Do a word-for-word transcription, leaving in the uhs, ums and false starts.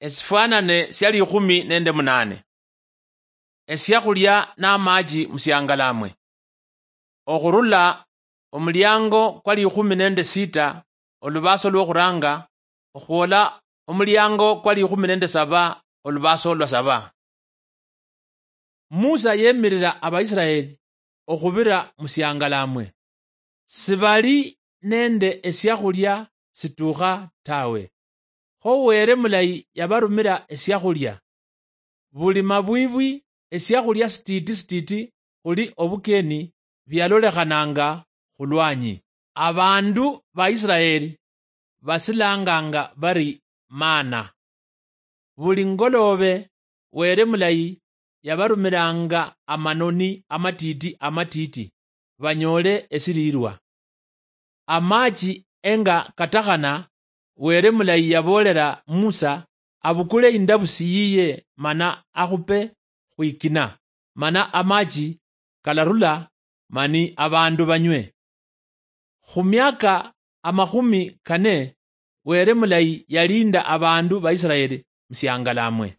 Esifwanane sia likhumi nende munane. Esiakhulia namachi musiangalamwe. Okhurula omuliango kwa likhumi nende sita, olubaso lwokhuranga, okhwola omuliango kwa likhumi nende saba, olubaso lwa saba. Musa yemirira Abaisiraeli okhubira musiangalamwe. Sibali nende esiakhulia situkha tawe. Kho Were mulayi yabarumira esiakhulia. Buli mabwibwi esiakhulia sititi sititi khuli obukeni bialolekhananga khulwanyi. Abandu ba Isiraeli basilanganga bari mana. Buli ngoloobe, Were mulayi yabarumiranga amanoni amatiiti amatiiti, banyoole esiriirwa. Amachi enga katakhana, Were mulayi yaboolera Musa abukule indabusi yiye mana akhupe khwikina, mana amachi kalarula mani abandu banywe. Khu miaka amakhumi kane, Were mulayi yalinda abandu ba Isiraeli musiangalamwe.